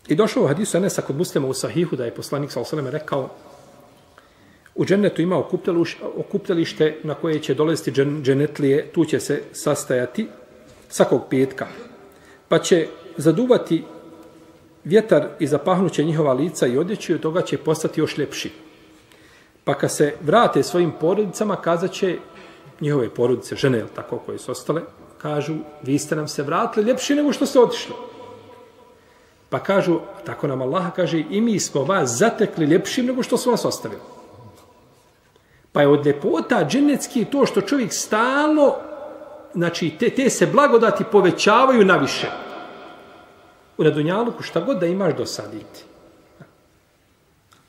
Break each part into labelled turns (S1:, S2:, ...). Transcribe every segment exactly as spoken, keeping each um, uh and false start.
S1: I došao u hadisu Enesa kod Muslima u Sahihu da je poslanik sallallahu alejhi ve sellem rekao u džennetu ima okupljalište na koje će dolaziti dženetlije, tu će se sastajati svakog petka. Pa će zaduvati vjetar i zapahnuće njihova lica i odjeću i od toga će postati još ljepši. Pa kad se vrate svojim porodicama, kazat će njihove porodice, žene, tako koje su ostale, kažu, vi ste nam se vratili ljepši nego što ste otišli. Pa kažu, tako nam Allah kaže, i mi smo vas zatekli ljepšim nego što su vas ostavili. Pa je od ljepota dženecki to što čovjek stalno, znači te, te se blagodati povećavaju na više. U Dunjaluku šta god da imaš dosaditi.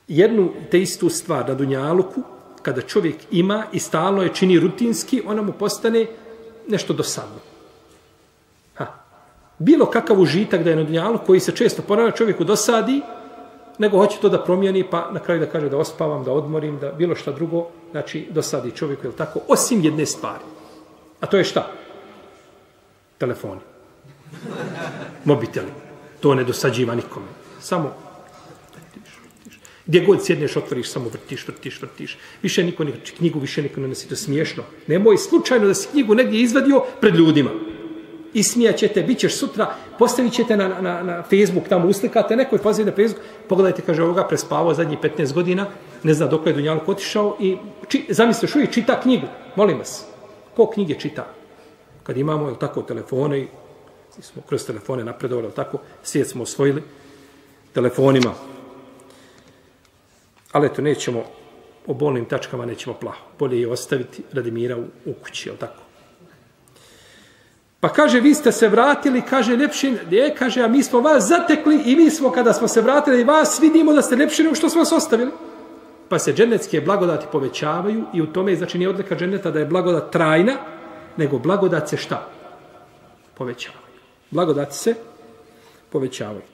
S1: Jednu te istu stvar na Dunjaluku, kada čovjek ima i stalno je čini rutinski, ona mu postane nešto dosadno. Ha. Bilo kakav užitak da je na Dunjaluku koji se često ponavlja čovjeku dosadi, nego hoće to da promijeni, pa na kraju da kaže da ospavam, da odmorim, da bilo šta drugo, znači dosadi čovjeku, je tako, osim jedne stvari. A to je šta? Telefoni. Mobiteli. To ne dosađiva nikome. Samo vrtiš, vrtiš. Gdje god sjedneš, otvoriš, samo vrtiš, vrtiš, vrtiš. Više niko ne vrti knjigu, više niko ne nosi, to smiješno. Nemoj slučajno da si knjigu negdje izvadio pred ljudima. I smijaćete, bit ćeš sutra, postavit ćete na, na, na Facebook, tamo uslikate, neko je poziv na Facebook, pogledajte, kaže, ovoga prespavao zadnjih petnaest godina, ne zna dok je Dunjaluk otišao i či, zamislite, uvijek čita knjigu. Molim vas, ko knjige čita? Kad imamo, je tako, telefone i smo kroz telefone napredovali, tako, svijet smo osvojili telefonima. Ali eto, nećemo, o bolnim tačkama nećemo plaho. Bolje je ostaviti radi mira u, u kući, je tako? Pa kaže, vi ste se vratili, kaže, ljepši, je, kaže, a mi smo vas zatekli i mi smo, kada smo se vratili, vas vidimo da ste ljepši nego što smo vas ostavili. Pa se dženecke blagodati povećavaju i u tome, znači, nije odlika dženeta da je blagodat trajna, nego blagodat se šta? Povećavaju. Blagodati se povećavaju.